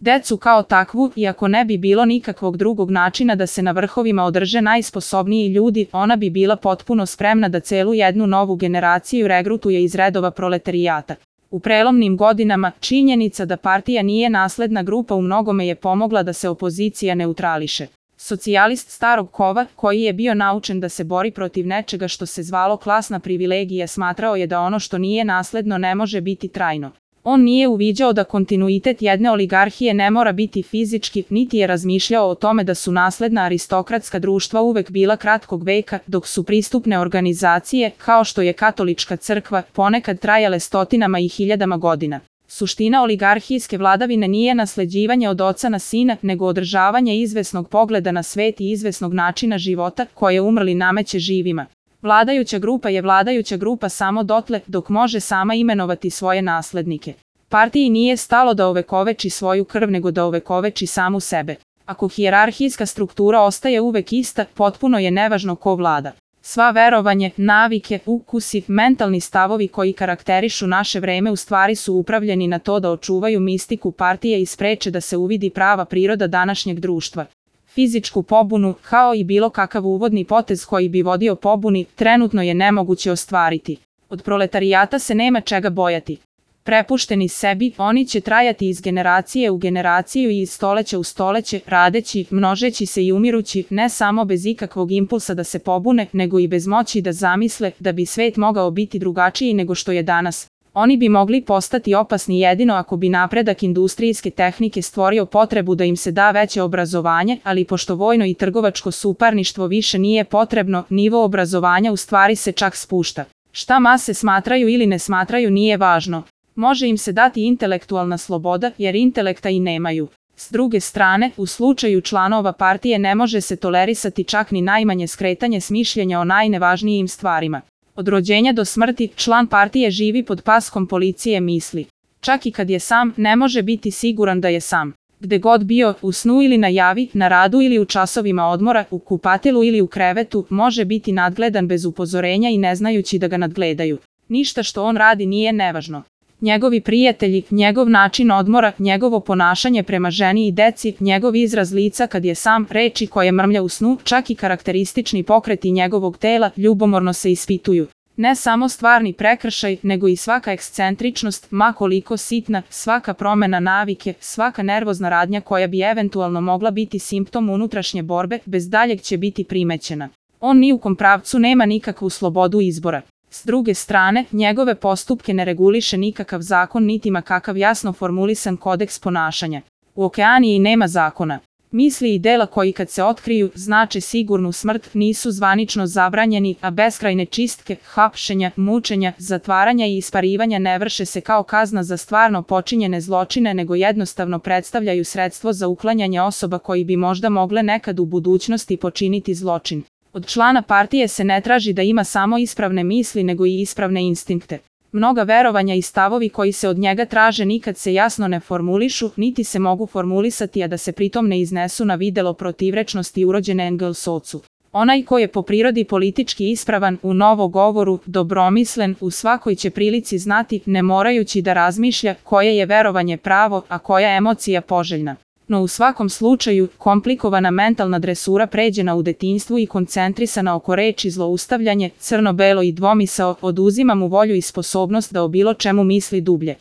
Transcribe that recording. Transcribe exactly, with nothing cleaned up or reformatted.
Decu kao takvu, iako ne bi bilo nikakvog drugog načina da se na vrhovima održe najsposobniji ljudi, ona bi bila potpuno spremna da celu jednu novu generaciju regrutuje iz redova proletarijata. U prelomnim godinama, činjenica da partija nije nasledna grupa u mnogome je pomogla da se opozicija neutrališe. Socijalist starog kova, koji je bio naučen da se bori protiv nečega što se zvalo klasna privilegija, smatrao je da ono što nije nasledno ne može biti trajno. On nije uviđao da kontinuitet jedne oligarhije ne mora biti fizički, niti je razmišljao o tome da su nasledna aristokratska društva uvek bila kratkog veka, dok su pristupne organizacije, kao što je katolička crkva, ponekad trajale stotinama i hiljadama godina. Suština oligarhijske vladavine nije nasleđivanje od oca na sina, nego održavanje izvesnog pogleda na svet i izvesnog načina života, koje umrli nameće živima. Vladajuća grupa je vladajuća grupa samo dotle dok može sama imenovati svoje naslednike. Partiji nije stalo da ovekoveči svoju krv, nego da ovekoveči samu sebe. Ako hijerarhijska struktura ostaje uvek ista, potpuno je nevažno ko vlada. Sva verovanje, navike, ukusi, mentalni stavovi koji karakterišu naše vreme u stvari su upravljeni na to da očuvaju mistiku partije i spreče da se uvidi prava priroda današnjeg društva. Fizičku pobunu, kao i bilo kakav uvodni potez koji bi vodio pobuni, trenutno je nemoguće ostvariti. Od proletarijata se nema čega bojati. Prepušteni sebi, oni će trajati iz generacije u generaciju i iz stoleća u stoleće, radeći, množeći se i umirući, ne samo bez ikakvog impulsa da se pobune, nego i bez moći da zamisle da bi svet mogao biti drugačiji nego što je danas. Oni bi mogli postati opasni jedino ako bi napredak industrijske tehnike stvorio potrebu da im se da veće obrazovanje, ali pošto vojno i trgovačko suparništvo više nije potrebno, nivo obrazovanja u stvari se čak spušta. Šta mase smatraju ili ne smatraju nije važno. Može im se dati intelektualna sloboda, jer intelekta i nemaju. S druge strane, u slučaju članova partije ne može se tolerisati čak ni najmanje skretanje s mišljenja o najnevažnijim stvarima. Od rođenja do smrti, član partije živi pod paskom policije misli. Čak i kad je sam, ne može biti siguran da je sam. Gde god bio, u snu ili na javi, na radu ili u časovima odmora, u kupatilu ili u krevetu, može biti nadgledan bez upozorenja i ne znajući da ga nadgledaju. Ništa što on radi nije nevažno. Njegovi prijatelji, njegov način odmora, njegovo ponašanje prema ženi i deci, njegov izraz lica kad je sam, reči koje mrmlja u snu, čak i karakteristični pokreti njegovog tela, ljubomorno se ispituju. Ne samo stvarni prekršaj, nego i svaka ekscentričnost, ma koliko sitna, svaka promena navike, svaka nervozna radnja koja bi eventualno mogla biti simptom unutrašnje borbe, bez daljeg će biti primećena. On ni u kom pravcu nema nikakvu slobodu izbora. S druge strane, njegove postupke ne reguliše nikakav zakon niti ma kakav jasno formulisan kodeks ponašanja. U Okeaniji nema zakona. Misli i dela koji kad se otkriju znače sigurnu smrt nisu zvanično zabranjeni, a beskrajne čistke, hapšenja, mučenja, zatvaranja i isparivanja ne vrše se kao kazna za stvarno počinjene zločine, nego jednostavno predstavljaju sredstvo za uklanjanje osoba koji bi možda mogle nekad u budućnosti počiniti zločin. Od člana partije se ne traži da ima samo ispravne misli nego i ispravne instinkte. Mnoga verovanja i stavovi koji se od njega traže nikad se jasno ne formulišu, niti se mogu formulisati, a da se pritom ne iznesu na videlo protivrečnosti urođene Engelsovcu. Onaj ko je po prirodi politički ispravan, u novogovoru, dobromislen, u svakoj će prilici znati, ne morajući da razmišlja, koje je verovanje pravo, a koja emocija poželjna. No u svakom slučaju, komplikovana mentalna dresura pređena u detinjstvu i koncentrisana oko reči zloustavljanje, crno-belo i dvomisao, oduzima mu volju i sposobnost da o bilo čemu misli dublje.